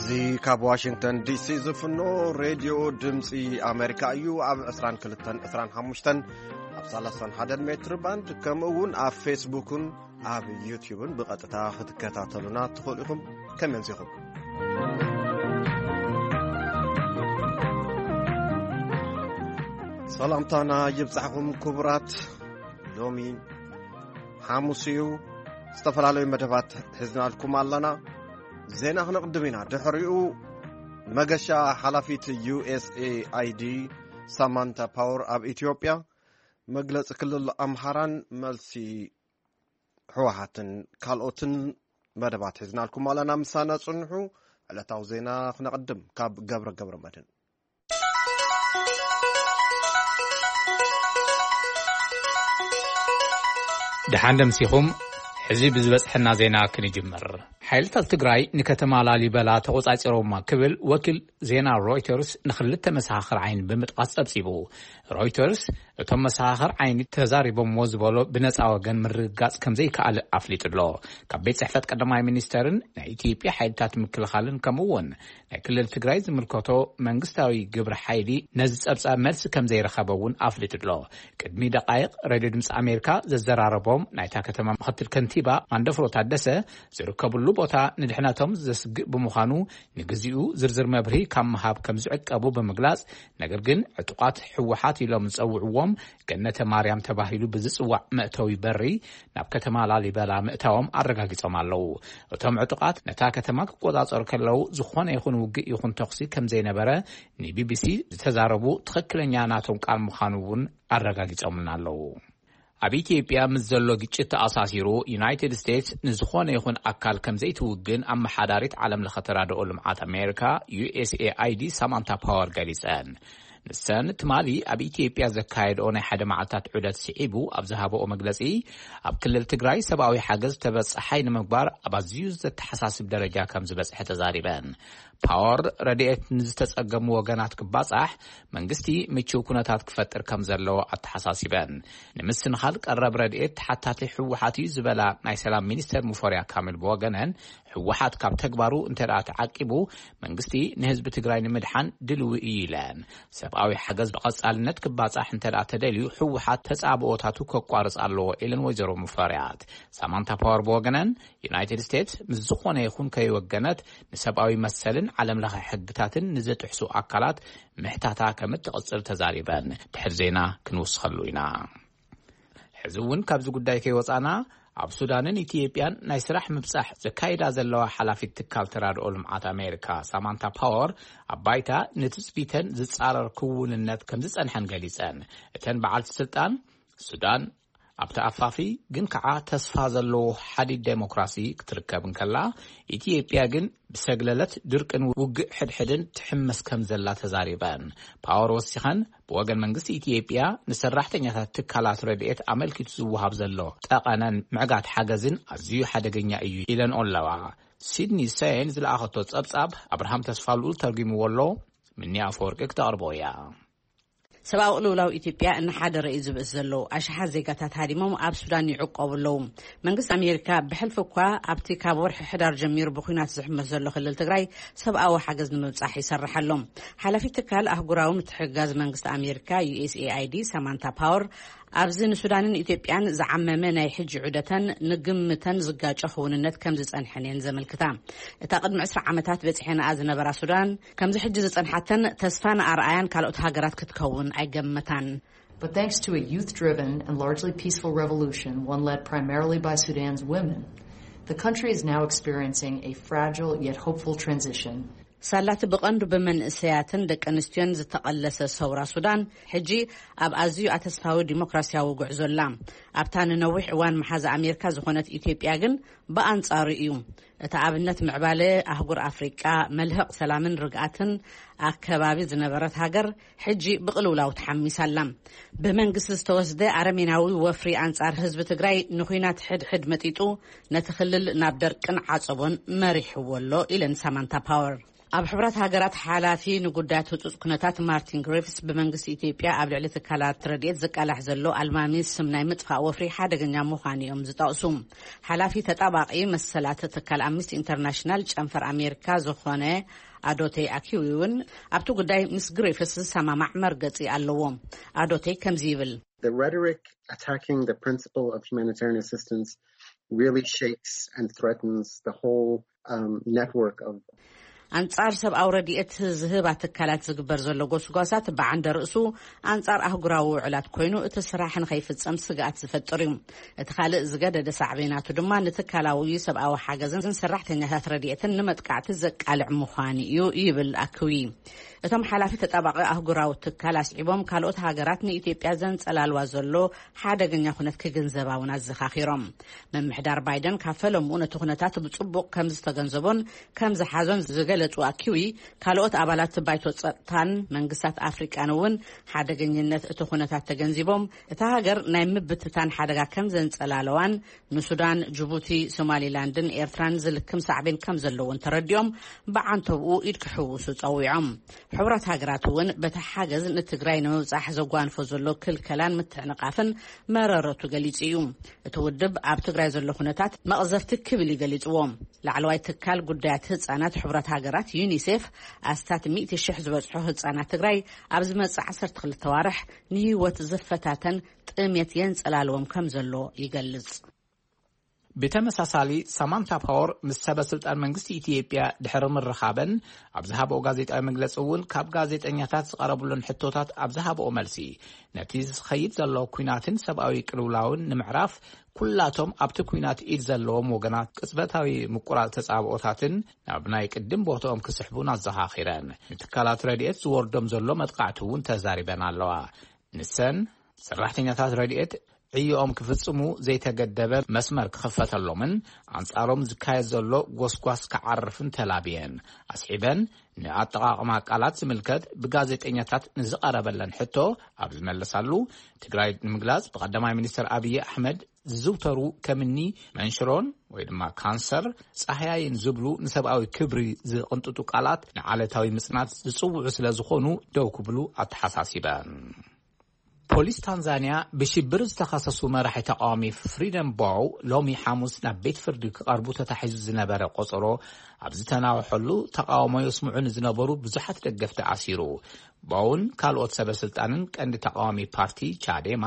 እዚ ካብ ዋሽንግተን ዲሲ ዝፍኖ ሬድዮ ድምፂ ኣሜሪካ እዩ። ኣብ ዕስራን ክልተን ዕስራን ሓሙሽተን ኣብ ሰላሳን ሓደን ሜትር ባንድ፣ ከምኡ እውን ኣብ ፌስቡክን ኣብ ዩቲዩብን ብቐጥታ ክትከታተሉና ትኽእሉ ኢኹም። ከመይ ኣምሲኹም? ሰላምታና ይብጻሕኹም ክቡራት። ሎሚ ሓሙስ እዩ። ዝተፈላለዩ መደባት ሒዝናልኩም ኣለና። ዜና ክነቕድም ኢና። ድሕሪኡ መገሻ ሓላፊት ዩ ኤስ ኤ ኣይ ዲ ሳማንታ ፓወር ኣብ ኢትዮጵያ፣ መግለጺ ክልል ኣምሓራን መልሲ ህወሓትን ካልኦትን መደባት ሒዝናልኩም ኣለና። ምሳና ጽንሑ። ዕለታዊ ዜና ክነቕድም ካብ ገብረ ገብረ መድህን። ደሓን ደምሲኹም። ሕዚ ብዝበጽሐና ዜና ክንጅምር። ሓይልታት ትግራይ ንከተማ ላሊበላ ተቖጻጺሮማ ክብል ወኪል ዜና ሮይተርስ ንኽልተ መሰኻኽር ዓይኒ ብምጥቃስ ጸብጺቡ። ሮይተርስ እቶም መሰኻኽር ዓይኒ ተዛሪቦምዎ ዝበሎ ብነጻ ወገን ምርግጋጽ ከም ዘይከኣል ኣፍሊጡ ኣሎ። ካብ ቤት ጽሕፈት ቀዳማይ ሚኒስተርን ናይ ኢትዮጵያ ሓይልታት ምክልኻልን ከምኡ እውን ናይ ክልል ትግራይ ዝምልከቶ መንግስታዊ ግብሪ ሓይሊ ነዚ ጸብጻብ መልሲ ከም ዘይረኸበ እውን ኣፍሊጡ ኣሎ። ቅድሚ ደቃይቕ ሬድዮ ድምፂ ኣሜሪካ ዘዘራረቦም ናይታ ከተማ ምክትል ከንቲባ ማንደፍሮ ታደሰ ዝርከብሉ ቦታ ንድሕነቶም ዘስግእ ብምዃኑ ንግዚኡ ዝርዝር መብርሂ ካብ ምሃብ ከም ዝዕቀቡ ብምግላጽ፣ ነገር ግን ዕጡቓት ህወሓት ኢሎም ዝጸውዕዎም ገነተ ማርያም ተባሂሉ ብዝጽዋዕ መእተዊ በሪ ናብ ከተማ ላሊበላ ምእታዎም ኣረጋጊጾም ኣለዉ። እቶም ዕጡቓት ነታ ከተማ ክቆጻጸሩ ከለዉ ዝኾነ ይኹን ውግእ ይኹን ተኹሲ ከም ዘይነበረ ንቢቢሲ ዝተዛረቡ ትኽክለኛ ናቶም ቃል ምዃኑ እውን ኣረጋጊጾምልና ኣለዉ። ኣብ ኢትዮጵያ ምስ ዘሎ ግጭት ተኣሳሲሩ፣ ዩናይትድ ስቴትስ ንዝኾነ ይኹን ኣካል ከም ዘይትውግን ኣመሓዳሪት ዓለም ለኸ ተራድኦ ልምዓት ኣሜሪካ፣ ዩ ኤስ ኤ ኣይ ዲ፣ ሳማንታ ፓወር ገሊጸን። ንሰን ትማሊ ኣብ ኢትዮጵያ ዘካየድኦ ናይ ሓደ መዓልታት ዑደት ስዒቡ ኣብ ዝሃበኦ መግለጺ፣ ኣብ ክልል ትግራይ ሰብኣዊ ሓገዝ ተበጻሓይ ንምግባር ኣብ ኣዝዩ ዘተሓሳስብ ደረጃ ከም ዝበጽሐ ተዛሪበን። ፓወር ረድኤት ንዝተጸገሙ ወገናት ክባጻሕ መንግስቲ ምቹው ኩነታት ክፈጥር ከም ዘለዎ ኣተሓሳሲበን። ንምስንኻል ቀረብ ረድኤት ተሓታቲ ህወሓት እዩ ዝበላ ናይ ሰላም ሚኒስተር ሙፈሪያት ካሚል ብወገነን፣ ህወሓት ካብ ተግባሩ እንተ ደኣ ተዓቂቡ መንግስቲ ንህዝቢ ትግራይ ንምድሓን ድልዊ እዩ ኢለን። ሰብኣዊ ሓገዝ ብቐጻልነት ክባጻሕ እንተ ደኣ ተደልዩ ህወሓት ተጻብኦታቱ ከቋርጽ ኣለዎ ኢለን ወይዘሮ ሙፈሪያት። ሳማንታ ፓወር ብወገነን ዩናይትድ ስቴትስ ምስ ዝኾነ ይኹን ከይወገነት ንሰብኣዊ መሰልን ዓለም ለኸ ሕግታትን ንዝጥሕሱ ኣካላት ምሕታታ ከም እትቕጽል ተዛሪበን። ድሕሪ ዜና ክንውስኸሉ ኢና። ሕዚ እውን ካብዚ ጉዳይ ከይወጻና ኣብ ሱዳንን ኢትዮጵያን ናይ ስራሕ ምብጻሕ ዘካይዳ ዘለዋ ሓላፊት ትካል ተራድኦ ልምዓት ኣሜሪካ ሳማንታ ፓወር ኣብ ባይታ ንትጽቢተን ዝጻረር ክውንነት ከም ዝጸንሐን ገሊጸን። እተን በዓልቲ ስልጣን ሱዳን ኣብቲ ኣፋፊ ግን ከዓ ተስፋ ዘለዎ ሓዲድ ዴሞክራሲ ክትርከብ እንከላ፣ ኢትዮጵያ ግን ብሰግለለት ድርቅን ውግእ ሕድሕድን ትሕመስ ከም ዘላ ተዛሪበን። ፓወር ወሲኸን ብወገን መንግስቲ ኢትዮጵያ ንሰራሕተኛታት ትካላት ረድኤት ኣመልኪቱ ዝወሃብ ዘሎ ጠቐነን ምዕጋት ሓገዝን ኣዝዩ ሓደገኛ እዩ ኢለን ኣለዋ። ሲድኒ ሴን ዝለኣኸቶ ጸብጻብ ኣብርሃም ተስፋ ልኡል ተርጉምዎ ኣሎ። ምኒ ኣፈወርቂ ክተቕርቦ እያ። ሰብኣዊ ቅልውላው ኢትዮጵያ እናሓደረ እዩ ዝብእስ ዘሎ። ኣሽሓት ዜጋታት ሃዲሞም ኣብ ሱዳን ይዕቆቡ ኣለዉ። መንግስቲ ኣሜሪካ ብሕልፊ እኳ ኣብቲ ካብ ወርሒ ሕዳር ጀሚሩ ብኲናት ዝሕመስ ዘሎ ክልል ትግራይ ሰብኣዊ ሓገዝ ንምብጻሕ ይሰርሕ ኣሎ። ሓላፊት ትካል ኣህጉራዊ ምትሕግጋዝ መንግስቲ ኣሜሪካ ዩ ኤስ ኤ ኣይ ዲ ሳማንታ ፓወር ኣብዚ ንሱዳንን ኢትዮጵያን ዝዓመመ ናይ ሕጂ ዑደተን ንግምተን ዝጋጨ ክውንነት ከም ዝጸንሐን እየን ዘመልክታ። እታ ቅድሚ ዕስራ ዓመታት በጺሐንኣ ዝነበራ ሱዳን ከምዚ ሕጂ ዝጸንሓተን ተስፋን ኣርኣያን ካልኦት ሃገራት ክትከውን ኣይገመታን። But thanks to a youth driven and largely peaceful revolution, one led primarily by Sudan's women, the country is now experiencing a fragile yet hopeful transition. ሳላቲ ብቐንዱ ብመንእሰያትን ደቂ ኣንስትዮን ዝተቐለሰ ሰውራ ሱዳን ሕጂ ኣብ ኣዝዩ ኣተስፋዊ ዲሞክራሲያዊ ጉዕዞ ኣላ። ኣብታ ንነዊሕ እዋን መሓዛ ኣሜሪካ ዝኾነት ኢትዮጵያ ግን ብኣንጻሩ እዩ። እቲ ኣብነት ምዕባለ ኣህጉር ኣፍሪቃ፣ መልህቕ ሰላምን ርግኣትን ኣከባቢ ዝነበረት ሃገር ሕጂ ብቕልውላው ተሓሚሳ ኣላ። ብመንግስቲ ዝተወስደ ኣረሜናዊ ወፍሪ ኣንጻር ህዝቢ ትግራይ ንኹናት ሕድሕድ መጢጡ ነቲ ክልል ናብ ደርቅን ዓጸቦን መሪሕዎ ኣሎ ኢለን ሳማንታ ፓወር። ኣብ ሕብረት ሃገራት ሓላፊ ንጉዳያት ህጹጽ ኩነታት ማርቲን ግሪፍስ፣ ብመንግስቲ ኢትዮጵያ ኣብ ልዕሊ ትካላት ረድኤት ዝቃላሕ ዘሎ ኣልማሚ ስም ናይ ምጥፋእ ወፍሪ ሓደገኛ ምዃኑ እዮም ዝጠቕሱ። ሓላፊ ተጣባቒ መሰላት ትካል ኣምነስቲ ኢንተርናሽናል ጨንፈር ኣሜሪካ ዝኾነ ኣዶቴ ኣኪዊ እውን ኣብቲ ጉዳይ ምስ ግሪፍስ ዝሰማማዕ መርገጺ ኣለዎ። ኣዶቴ ከምዚ ይብል። The rhetoric attacking the principle of humanitarian assistance really shakes and threatens the whole um, network of ኣንጻር ሰብኣዊ ረድኤት ዝህባ ትካላት ዝግበር ዘሎ ጎስጓሳት ብዓንደ ርእሱ ኣንጻር ኣህጉራዊ ውዕላት ኮይኑ፣ እቲ ስራሕ ንኸይፍጸም ስግኣት ዝፈጥር እዩ። እቲ ካልእ ዝገደደ ሳዕቤናቱ ድማ ንትካላዊ ሰብኣዊ ሓገዝን ሰራሕተኛታት ረድኤትን ንመጥቃዕቲ ዘቃልዕ ምዃኑ እዩ ይብል ኣክዊ። እቶም ሓላፊ ተጣባቒ ኣህጉራዊ ትካል ኣስዒቦም፣ ካልኦት ሃገራት ንኢትዮጵያ ዘንጸላልዋ ዘሎ ሓደገኛ ኩነት ክግንዘባ እውን ኣዘኻኺሮም። ምምሕዳር ባይደን ካብ ፈለምኡ ነቲ ኩነታት ብጽቡቕ ከም ዝተገንዘቦን ከም ዝሓዞን ዝገለጹ ኣኪዊ፣ ካልኦት ኣባላት ባይቶ ጸጥታን መንግስታት ኣፍሪቃን እውን ሓደገኝነት እቲ ኩነታት ተገንዚቦም፣ እታ ሃገር ናይ ምብትታን ሓደጋ ከም ዘንጸላለዋን ንሱዳን፣ ጅቡቲ፣ ሶማሊላንድን ኤርትራን ዝልክም ሳዕቤን ከም ዘለዎን ተረዲኦም፣ ብዓንተብኡ ኢድ ክሕውሱ ጸዊዖም። ሕቡራት ሃገራት እውን በቲ ሓገዝ ንትግራይ ንምብጻሕ ዘጓንፎ ዘሎ ክልከላን ምትዕንቓፍን መረረቱ ገሊጹ እዩ። እቲ ውድብ ኣብ ትግራይ ዘሎ ኩነታት መቕዘፍቲ ክብል እዩ ገሊጽዎ። ላዕለዋይ ትካል ጉዳያት ህጻናት ሕቡራት ሃገራት ዩኒሴፍ፣ ኣስታት ሚእቲ ሽሕ ዝበጽሑ ህጻናት ትግራይ ኣብ ዝመጽእ ዓሰርተ ክልተ ዋርሕ ንህይወት ዝፈታተን ጥሜት የንጸላልዎም ከም ዘሎ ይገልጽ። ብተመሳሳሊ፣ ሳማንታ ፓወር ምስ ሰበ ስልጣን መንግስቲ ኢትዮጵያ ድሕሪ ምርኻበን ኣብ ዝሃበኦ ጋዜጣዊ መግለጺ እውን፣ ካብ ጋዜጠኛታት ዝቐረብሉን ሕቶታት ኣብ ዝሃበኦ መልሲ፣ ነቲ ዝኸይድ ዘሎ ኲናትን ሰብኣዊ ቅልውላውን ንምዕራፍ፣ ኩላቶም ኣብቲ ኲናት ኢድ ዘለዎም ወገናት ቅጽበታዊ ምቁራጽ ተጻብኦታትን ናብ ናይ ቅድም ቦትኦም ክስሕቡን ኣዘኻኺረን። ንትካላት ረድኤት ዝወርዶም ዘሎ መጥቃዕቲ እውን ተዛሪበን ኣለዋ። ንሰን፣ ሰራሕተኛታት ረድኤት ዕዮኦም ክፍጽሙ ዘይተገደበ መስመር ክኽፈተሎምን ኣንጻሮም ዝካየድ ዘሎ ጎስጓስ ክዓርፍን ተላብየን። ኣስዒበን፣ ንኣጠቓቕማ ቃላት ዝምልከት ብጋዜጠኛታት ንዝቐረበለን ሕቶ ኣብ ዝመለሳሉ፣ ትግራይ ንምግላጽ ብቐዳማይ ሚኒስትር ኣብይ ኣሕመድ ዝዝውተሩ ከምኒ መንሽሮን ወይ ድማ ካንሰር፣ ጻህያይን ዝብሉ ንሰብኣዊ ክብሪ ዝቕንጥጡ ቃላት ንዓለታዊ ምጽናት ዝጽውዑ ስለ ዝኾኑ ደው ክብሉ ኣተሓሳሲበን። ፖሊስ ታንዛንያ ብሽብር ዝተኸሰሱ መራሒ ተቃዋሚ ፍሪደም ቦው ሎሚ ሓሙስ ናብ ቤት ፍርዲ ክቐርቡ ተታሒዙ ዝነበረ ቆጸሮ ኣብ ዝተናወሐሉ፣ ተቃውሞ የስምዑ ንዝነበሩ ብዙሓት ደገፍቲ ኣሲሩ። ቦውን ካልኦት ሰበ ስልጣንን ቀንዲ ተቃዋሚ ፓርቲ ቻዴማ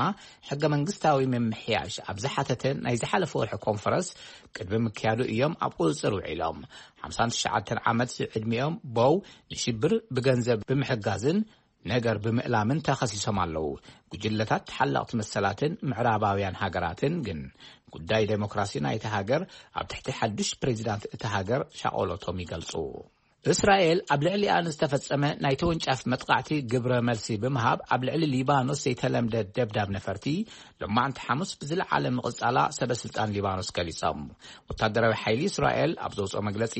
ሕገ መንግስታዊ ምምሕያሽ ኣብ ዝሓተተ ናይ ዝሓለፈ ወርሒ ኮንፈረንስ ቅድሚ ምክያዱ እዮም ኣብ ቁጽጽር ውዒሎም። ሓምሳን ትሽዓተን ዓመት ዕድሚኦም ቦው ንሽብር ብገንዘብ ብምሕጋዝን ነገር ብምእላምን ተኸሲሶም ኣለዉ። ጉጅለታት ተሓለቕቲ መሰላትን ምዕራባውያን ሃገራትን ግን ጉዳይ ዴሞክራሲ ናይቲ ሃገር ኣብ ትሕቲ ሓዱሽ ፕሬዚዳንት እቲ ሃገር ሻቆሎቶም ይገልጹ። እስራኤል ኣብ ልዕሊኣ ንዝተፈጸመ ናይ ተወንጫፍ መጥቃዕቲ ግብረ መልሲ ብምሃብ፣ ኣብ ልዕሊ ሊባኖስ ዘይተለምደ ደብዳብ ነፈርቲ ሎማዕንቲ ሓሙስ ብዝለዓለ ምቕጻላ ሰበ ስልጣን ሊባኖስ ገሊጾም። ወታደራዊ ሓይሊ እስራኤል ኣብ ዘውጽኦ መግለጺ፣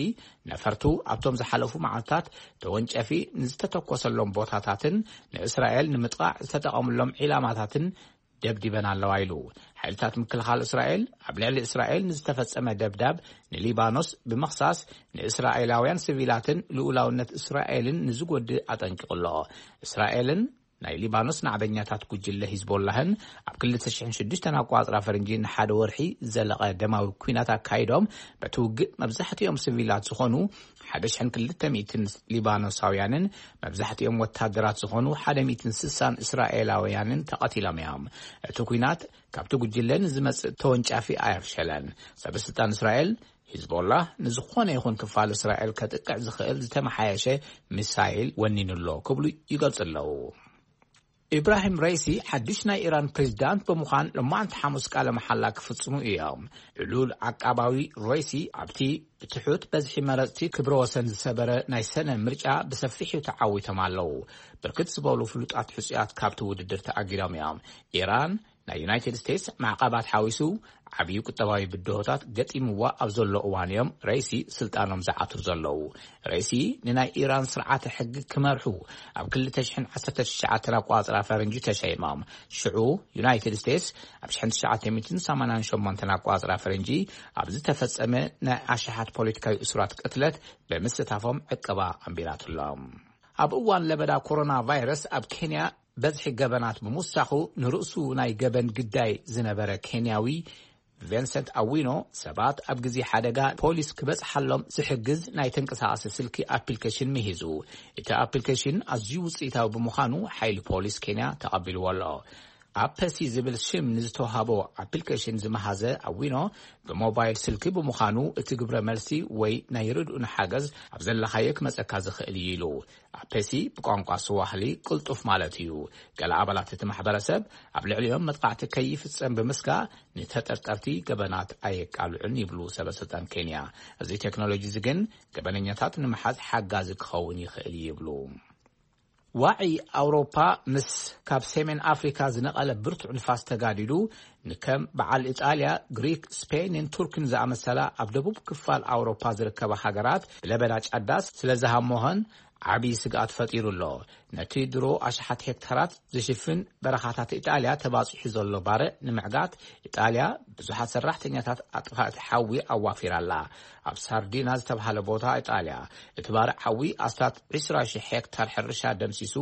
ነፈርቱ ኣብቶም ዝሓለፉ መዓልታት ተወንጨፊ ንዝተተኮሰሎም ቦታታትን ንእስራኤል ንምጥቃዕ ዝተጠቐምሎም ዒላማታትን ደብዲበን ኣለዋ ኢሉ። ሓይልታት ምክልኻል እስራኤል ኣብ ልዕሊ እስራኤል ንዝተፈጸመ ደብዳብ ንሊባኖስ ብምኽሳስ፣ ንእስራኤላውያን ሲቪላትን ልኡላውነት እስራኤልን ንዝጎድእ ኣጠንቂቑ ኣሎ። እስራኤልን ናይ ሊባኖስ ናዕበኛታት ጉጅለ ሂዝቦላህን ኣብ ክልተ ሽሕን ሽዱሽተን ኣቋጽራ ፈረንጂ ንሓደ ወርሒ ዝዘለቐ ደማዊ ኲናት ኣካይዶም፣ በቲ ውግእ መብዛሕትኦም ሲቪላት ዝኾኑ ሓደ ሽሕን ክልተ ሚእትን ሊባኖሳውያንን መብዛሕትኦም ወታደራት ዝኾኑ ሓደ ሚእትን ስሳን እስራኤላውያንን ተቐቲሎም እዮም። እቲ ኲናት ካብቲ ጉጅለ ንዝመጽእ ተወንጫፊ ኣየፍሸለን። ሰበ ስልጣን እስራኤል፣ ሂዝቦላህ ንዝኾነ ይኹን ክፋል እስራኤል ከጥቅዕ ዝኽእል ዝተመሓየሸ ሚሳይል ወኒኑ ኣሎ ክብሉ ይገልጹ ኣለዉ። ኢብራሂም ሬሲ ሓድሽ ናይ ኢራን ፕሬዚዳንት ብምዃን ሎማዕንቲ ሓሙስ ቃለ መሓላ ክፍጽሙ እዮም። ዕሉል ዓቃባዊ ሬሲ ኣብቲ ብትሑት በዝሒ መረጽቲ ክብረ ወሰን ዝሰበረ ናይ ሰነ ምርጫ ብሰፊሑ ተዓዊቶም ኣለዉ። ብርክት ዝበሉ ፍሉጣት ሕጹያት ካብቲ ውድድር ተኣጊዶም እዮም። ኢራን ናይ ዩናይትድ ስቴትስ ማዕቐባት ሓዊሱ ዓብዪ ቁጠባዊ ብድሆታት ገጢምዋ ኣብ ዘሎ እዋን እዮም ረይሲ ስልጣኖም ዝዓትሩ ዘለዉ። ረይሲ ንናይ ኢራን ስርዓተ ሕጊ ክመርሑ ኣብ ክልተ ሽሕን ዓሰርተ ትሽዓተን ኣቋጽራ ፈረንጂ ተሸይሞም። ሽዑ ዩናይትድ ስቴትስ ኣብ ሽሕን ትሽዓተ ሚእትን ሰማንያን ሸሞንተን ኣቋጽራ ፈረንጂ ኣብ ዝተፈጸመ ናይ ኣሽሓት ፖለቲካዊ እሱራት ቅትለት ብምስታፎም ዕቀባ ኣንቢራትሎም። ኣብ እዋን ለበዳ ኮሮና ቫይረስ ኣብ ኬንያ በዝሒ ገበናት ብምውሳኹ ንርእሱ ናይ ገበን ግዳይ ዝነበረ ኬንያዊ ቪንሰንት ኣዊኖ ሰባት ኣብ ግዜ ሓደጋ ፖሊስ ክበጽሓሎም ዝሕግዝ ናይ ተንቀሳቓሲ ስልኪ ኣፕሊኬሽን ምሂዙ። እቲ ኣፕሊኬሽን ኣዝዩ ውጽኢታዊ ብምዃኑ ሓይሊ ፖሊስ ኬንያ ተቐቢልዎ ኣሎ። ኣፕ ሲ ዝብል ሽም ንዝተዋህቦ ኣፕሊኬሽን ዝመሃዘ ኣዊኖ ብሞባይል ስልኪ ብምዃኑ እቲ ግብረ መልሲ ወይ ናይ ርድኡን ሓገዝ ኣብ ዘለኻዮ ክመጸካ ዝኽእል እዩ ኢሉ። ኣፕ ሲ ብቋንቋ ስዋህሊ ቅልጡፍ ማለት እዩ። ገለ ኣባላት እቲ ማሕበረሰብ ኣብ ልዕሊኦም መጥቓዕቲ ከይፍጸም ብምስጋእ ንተጠርጠርቲ ገበናት ኣየቃልዑን ይብሉ ሰበስልጣን ኬንያ። እዚ ቴክኖሎጂ እዚ ግን ገበነኛታት ንምሓዝ ሓጋዚ ክኸውን ይኽእል እዩ ይብሉ። ዋዒ ኣውሮፓ ምስ ካብ ሰሜን ኣፍሪካ ዝነቐለ ብርቱዕ ንፋስ ተጋዲዱ ንከም በዓል ኢጣልያ፣ ግሪክ፣ ስፔንን ቱርክን ዝኣመሰላ ኣብ ደቡብ ክፋል ኣውሮፓ ዝርከባ ሃገራት ብለበዳ ጫዳስ ስለ ዝሃሞኸን ዓብዪ ስግኣት ፈጢሩ ኣሎ። ነቲ ድሮ ኣሽሓት ሄክታራት ዝሽፍን በረኻታት ኢጣልያ ተባፂሑ ዘሎ ባርዕ ንምዕጋት ኢጣልያ ብዙሓት ሰራሕተኛታት ኣጥፋእቲ ሓዊ ኣዋፊራ ኣላ። ኣብ ሳርዲና ዝተባህለ ቦታ ኢጣልያ እቲ ባርዕ ሓዊ ኣስታት ዕስራ ሺሕ ሄክታር ሕርሻ ደምሲሱ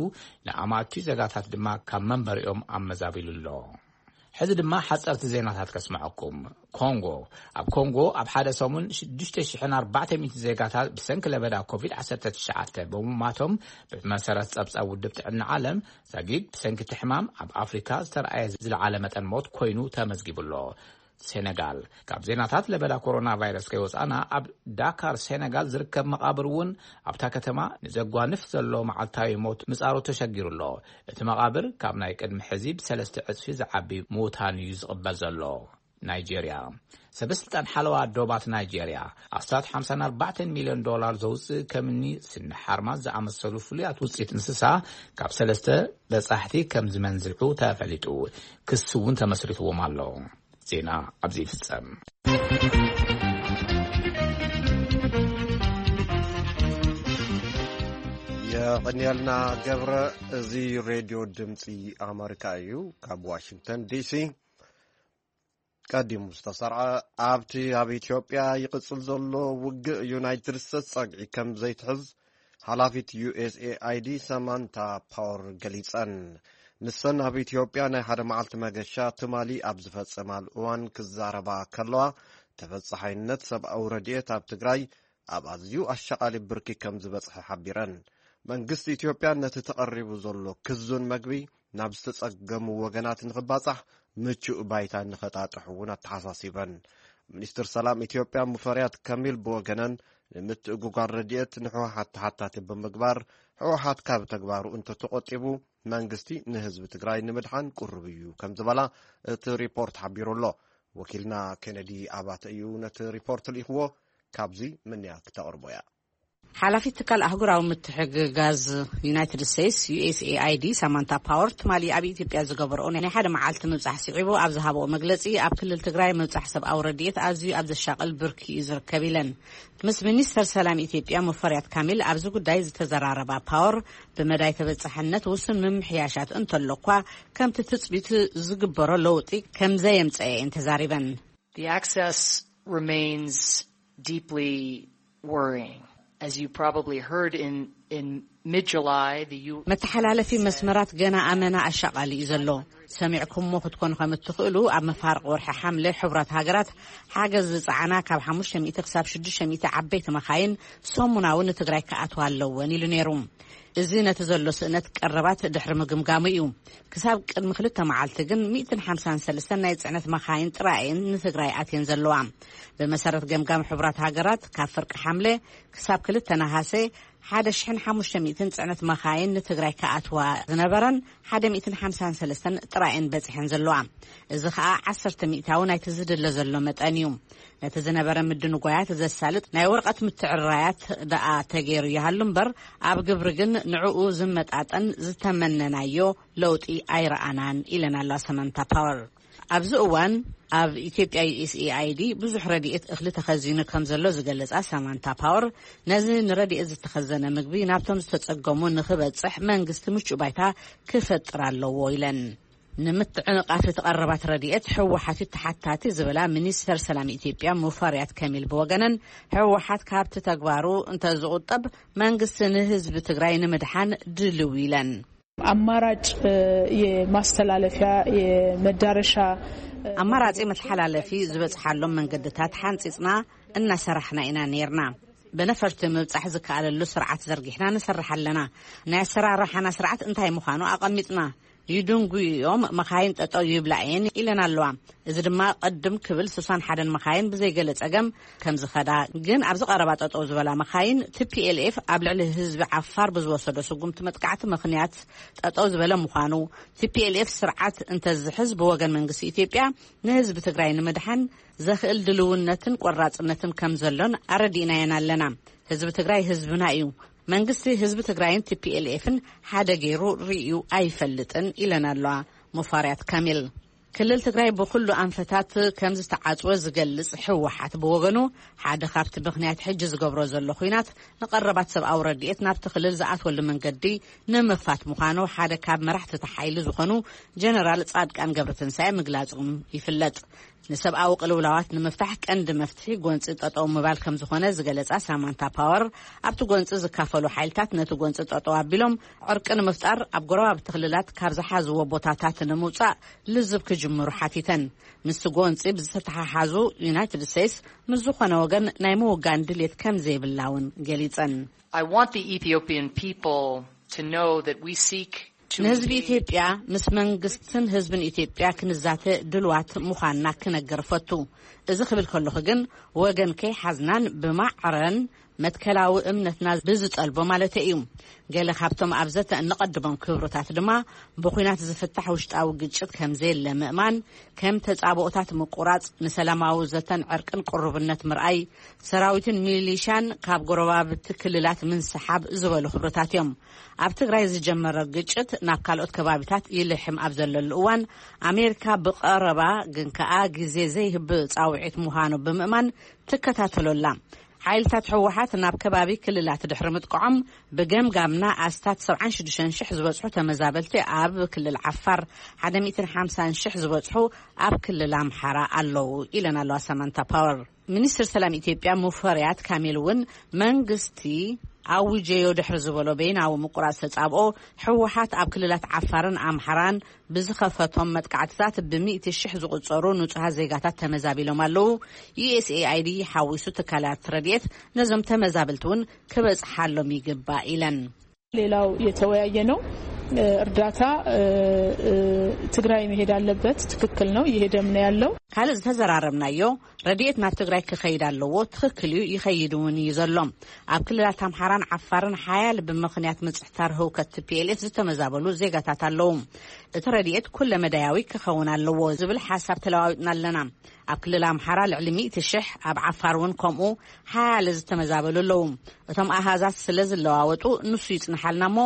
ንኣማእቲ ዜጋታት ድማ ካብ መንበሪኦም ኣመዛቢሉ ኣሎ። ሕዚ ድማ ሓፀርቲ ዜናታት ከስምዐኩም። ኮንጎ። ኣብ ኮንጎ ኣብ ሓደ ሰሙን ሽዱሽተ ሽሕን ኣርባዕተ ሚእቲ ዜጋታት ብሰንኪ ለበዳ ኮቪድ ዓሰርተ ትሽዓተ ብምማቶም ብመሰረት ጸብጻብ ውድብ ጥዕና ዓለም ዛጊድ ብሰንኪ እቲ ሕማም ኣብ ኣፍሪካ ዝተረኣየ ዝለዓለ መጠን ሞት ኮይኑ ተመዝጊቡ ኣሎ። ሴነጋል። ካብ ዜናታት ለበዳ ኮሮና ቫይረስ ከይወፃና ኣብ ዳካር ሴነጋል ዝርከብ መቓብር እውን ኣብታ ከተማ ንዘጓንፍ ዘሎ መዓልታዊ ሞት ምጻሩ ተሸጊሩ ኣሎ። እቲ መቓብር ካብ ናይ ቅድሚ ሕዚ ብሰለስተ ዕጽፊ ዝዓቢ ምዉታን እዩ ዝቕበል ዘሎ። ናይጄርያ። ሰበስልጣን ሓለዋ ዶባት ናይጄርያ ኣስታት ሓምሳን ኣርባዕተን ሚልዮን ዶላር ዘውፅእ ከምኒ ስኒ ሓርማዝ ዝኣመሰሉ ፍሉያት ውፅኢት እንስሳ ካብ ሰለስተ በጻሕቲ ከም ዝመንዝዑ ተፈሊጡ። ክሲ እውን ተመስሪትዎም ኣሎ። ዜና ኣብዚ ይፍጸም። የቐንየልና ገብረ። እዚ ሬድዮ ድምፂ ኣመሪካ እዩ። ካብ ዋሽንግተን ዲሲ ቀዲሙ ዝተሰርዐ፣ ኣብቲ ኣብ ኢትዮጵያ ይቕጽል ዘሎ ውግእ ዩናይትድ ስቴትስ ጸግዒ ከም ዘይትሕዝ ሓላፊት ዩ ኤስ ኤ ኣይ ዲ ሰማንታ ፓወር ገሊጸን። ንሰን ኣብ ኢትዮጵያ ናይ ሓደ መዓልቲ መገሻ ትማሊ ኣብ ዝፈጸማሉ እዋን ክዛረባ ከለዋ፣ ተበጻሓይነት ሰብኣዊ ረድኤት ኣብ ትግራይ ኣብ ኣዝዩ ኣሻቓሊ ብርኪ ከም ዝበጽሐ ሓቢረን። መንግስቲ ኢትዮጵያ ነቲ ተቐሪቡ ዘሎ ክዙን መግቢ ናብ ዝተጸገሙ ወገናት ንኽባጻሕ ምቹእ ባይታ ንኸጣጥሕ እውን ኣተሓሳሲበን። ሚኒስትር ሰላም ኢትዮጵያ ሙፈሪያት ካሚል ብወገነን፣ ንምትእጉጓል ረድኤት ንህወሓት ተሓታቲ ብምግባር፣ ህወሓት ካብ ተግባሩ እንተተቖጢቡ መንግስቲ ንህዝቢ ትግራይ ንምድሓን ቅሩብ እዩ ከም ዝበላ እቲ ሪፖርት ሓቢሩ ኣሎ። ወኪልና ኬነዲ ኣባተ እዩ ነቲ ሪፖርት ልኢኽዎ። ካብዚ ምንያ ክተቕርቦ እያ። ሓላፊት ትካል ኣህጉራዊ ምትሕግጋዝ ዩናይትድ ስቴትስ፣ ዩ ኤስ ኤ ኣይ ዲ፣ ሳማንታ ፓወር ትማሊ ኣብ ኢትዮጵያ ዝገበርኦ ናይ ሓደ መዓልቲ ምብጻሕ ስዒቡ ኣብ ዝሃብኦ መግለጺ፣ ኣብ ክልል ትግራይ ምብጻሕ ሰብኣዊ ረድኤት ኣዝዩ ኣብ ዘሻቕል ብርኪ እዩ ዝርከብ ኢለን። ምስ ሚኒስተር ሰላም ኢትዮጵያ ሙፈሪያት ካሚል ኣብዚ ጉዳይ ዝተዘራረባ ፓወር፣ ብመዳይ ተበጻሕነት ውሱን ምምሕያሻት እንተሎ እኳ፣ ከምቲ ትጽቢት ዝግበሮ ለውጢ ከም ዘየምጸአ እየን ተዛሪበን። The access remains deeply worrying. As you probably heard in, in mid-July, the U- መተሓላለፊ መስመራት ገና ኣመና ኣሻቓሊ እዩ ዘሎ። ሰሚዕኩሞ ክትኮኑ ከም እትኽእሉ፣ ኣብ መፋርቕ ወርሒ ሓምለ ሕቡራት ሃገራት ሓገዝ ዝጸዓና ካብ ሓሙሽተ ሚእቲ ክሳብ ሽዱሽተ ሚእቲ ዓበይቲ መኻይን ሰሙናዊ ንትግራይ ክኣትዋ ኣለወን ኢሉ ነይሩ። እዚ ነቲ ዘሎ ስእነት ቀረባት ድሕሪ ምግምጋሙ እዩ። ክሳብ ቅድሚ ክልተ መዓልቲ ግን ሚእትን ሓምሳን ሰለስተን ናይ ጽዕነት መኻይን ጥራይ እየን ንትግራይ ኣትየን ዘለዋ። ብመሰረት ገምጋም ሕቡራት ሃገራት፣ ካብ ፍርቂ ሓምለ ክሳብ ክልተ ነሃሰ፣ ሓደ ሽሕን ሓሙሽተ ሚእትን ጽዕነት መኻይን ንትግራይ ክኣትዋ ዝነበረን ሓደ ሚእትን ሓምሳን ሰለስተን ጥራይ እየን በጺሐን ዘለዋ። እዚ ኸኣ ዓሰርተ ሚእታዊ ናይቲ ዝድለ ዘሎ መጠን እዩ። ነቲ ዝነበረ ምድንጓያት ዘሳልጥ ናይ ወረቐት ምትዕርራያት ደኣ ተገይሩ ይሃሉ እምበር፣ ኣብ ግብሪ ግን ንዕኡ ዝመጣጠን ዝተመነናዮ ለውጢ ኣይረኣናን ኢለን ኣለዋ ሰማንታ ፓወር። ኣብዚ እዋን ኣብ ኢትዮጵያ ዩ ኤስ ኤ ኣይ ዲ ብዙሕ ረድኤት እኽሊ ተኸዚኑ ከም ዘሎ ዝገለጻ ሳማንታ ፓወር፣ ነዚ ንረድኤት ዝተኸዘነ ምግቢ ናብቶም ዝተጸገሙ ንኽበጽሕ መንግስቲ ምቹእ ባይታ ክፈጥር ኣለዎ ኢለን። ንምትዕንቓፍ እቲ ቀረባት ረድኤት ህወሓት እዩ ተሓታቲ ዝበላ ሚኒስተር ሰላም ኢትዮጵያ ሙፈሪያት ከሚል ብወገነን፣ ህወሓት ካብቲ ተግባሩ እንተዝቑጠብ መንግስቲ ንህዝቢ ትግራይ ንምድሓን ድልው ኢለን። አማራጭ የማስተላለፊያ የመዳረሻ ኣማራጺ መተሓላለፊ ዝበጽሓሎም መንገድታት ሓንጺጽና እናሰራሕና ኢና ነይርና። ብነፈርቲ ምብጻሕ ዝከኣለሉ ስርዓት ዘርጊሕና ንሰርሕ ኣለና። ናይ ኣሰራርሓና ስርዓት እንታይ ምዃኑ ኣቐሚጥና። ይድንጉዮም መኻይን ጠጠው ይብላ እየን ኢለን ኣለዋ። እዚ ድማ ቅድም ክብል ስሳን ሓደን መኻይን ብዘይገለ ጸገም ከም ዝኸዳ፣ ግን ኣብዚ ቀረባ ጠጠው ዝበላ መኻይን ቲ ፒ ኤል ኤፍ ኣብ ልዕሊ ህዝቢ ዓፋር ብዝወሰዶ ስጉምቲ መጥቃዕቲ ምኽንያት ጠጠው ዝበለ ምዃኑ፣ ቲ ፒ ኤል ኤፍ ስርዓት እንተዝሕዝ ብወገን መንግስቲ ኢትዮጵያ ንህዝቢ ትግራይ ንምድሓን ዘኽእል ድልውነትን ቆራጽነትን ከም ዘሎን ኣረዲእናየን ኣለና። ህዝቢ ትግራይ ህዝብና እዩ። መንግስቲ ህዝቢ ትግራይን ቲ ፒ ኤል ኤፍን ሓደ ገይሩ ርእዩ ኣይፈልጥን ኢለን ኣለዋ ሙፋርያት ካሚል። ክልል ትግራይ ብኹሉ ኣንፈታት ከም ዝተዓጽወ ዝገልጽ ህወሓት ብወገኑ፣ ሓደ ካብቲ ምኽንያት ሕጂ ዝገብሮ ዘሎ ኹናት ንቐረባት ሰብኣዊ ረድኤት ናብቲ ክልል ዝኣትወሉ መንገዲ ንምኽፋት ምዃኑ ሓደ ካብ መራሕቲ እቲ ሓይሊ ዝኾኑ ጀነራል ጻድቃን ገብረትንሳኤ ምግላጾም ይፍለጥ። ንሰብኣዊ ቅልውላዋት ንምፍታሕ ቀንዲ መፍትሒ ጎንጺ ጠጠው ምባል ከም ዝኾነ ዝገለጻ ሳማንታ ፓወር፣ ኣብቲ ጎንጺ ዝካፈሉ ሓይልታት ነቲ ጎንጺ ጠጠው ኣቢሎም ዕርቂ ንምፍጣር ኣብ ጎረባብቲ ክልላት ካብ ዝሓዝዎ ቦታታት ንምውጻእ ልዝብ ክጅምሩ ሓቲተን። ምስቲ ጎንጺ ብዝተተሓሓዙ ዩናይትድ ስቴትስ ምስ ዝኾነ ወገን ናይ ምውጋን ድሌት ከም ዘይብላ እውን ገሊጸን። I want the Ethiopian people to know that we seek to ንህዝቢ ኢትዮጵያ ምስ መንግስትን ህዝብን ኢትዮጵያ ክንዛተ ድልዋት ምዃንና ክነገር ፈቱ። እዚ ክብል ከለኹ ግን ወገን ከይሓዝናን ብማዕረን መትከላዊ እምነትና ብዝጠልቦ ማለት እዩ። ገለ ካብቶም ኣብ ዘተ እንቐድሞም ክብርታት ድማ ብኹናት ዝፍታሕ ውሽጣዊ ግጭት ከም ዘየለ ምእማን፣ ከም ተጻብኦታት ምቁራጽ፣ ንሰላማዊ ዘተን ዕርቅን ቅሩብነት ምርኣይ፣ ሰራዊትን ሚሊሻን ካብ ጎረባብቲ ክልላት ምንስሓብ ዝበሉ ክብርታት እዮም። ኣብ ትግራይ ዝጀመረ ግጭት ናብ ካልኦት ከባቢታት ይልሕም ኣብ ዘለሉ እዋን፣ ኣሜሪካ ብቐረባ ግን ከኣ ግዜ ዘይህብ ጻውዒት ምዃኑ ብምእማን ትከታተሎ ኣላ። ሓይልታት ህወሓት ናብ ከባቢ ክልላት ድሕሪ ምጥቃዖም፣ ብገምጋምና ኣስታት ሰብዓን ሽዱሽተን ሽሕ ዝበጽሑ ተመዛበልቲ ኣብ ክልል ዓፋር፣ ሓደን ሓምሳን ሽሕ ዝበጽሑ ኣብ ክልል ኣምሓራ ኣለዉ ኢለን ኣለዋ ሳማንታ ፓወር። ሚኒስትር ሰላም ኢትዮጵያ ሙፈሪያት ካሚል እውን መንግስቲ ኣውጀዮ ድሕሪ ዝበሎ በይናዊ ምቁራጽ ተጻብኦ፣ ህወሓት ኣብ ክልላት ዓፋርን ኣምሓራን ብዝኸፈቶም መጥቃዕትታት ብሚእቲ ሽሕ ዝቑጸሩ ንጹሃት ዜጋታት ተመዛቢሎም ኣለዉ። ዩ ኤስ ኤ ኣይ ዲ ሓዊሱ ትካላት ረድኤት ነዞም ተመዛበልቲ እውን ክበጽሓሎም ይግባእ ኢለን። ሌላው የተወያየ ነው። እርዳታ ትግራይ መሄድ አለበት። ትክክል ነው። እየሄደም ነው ያለው። ካልእ ዝተዘራረብናዮ፣ ረድኤት ናብ ትግራይ ክኸይድ ኣለዎ። ትኽክል እዩ፣ ይኸይድ እውን እዩ ዘሎ። ኣብ ክልላት ኣምሓራን ዓፋርን ሓያል ብምኽንያት ምጽሕታር ህውከት ቲ ፒ ኤል ኤፍ ዝተመዛበሉ ዜጋታት ኣለዉ። እቲ ረድኤት ኩለ መዳያዊ ክኸውን ኣለዎ ዝብል ሓሳብ ተለዋዊጥና ኣለና። ኣብ ክልል ኣምሓራ ልዕሊ ሚእቲ ሽሕ፣ ኣብ ዓፋር እውን ከምኡ ሓያለ ዝተመዛበሉ ኣለዉ። እቶም ኣሃዛት ስለ ዝለዋወጡ ንሱ ይጽንሓልና እሞ፣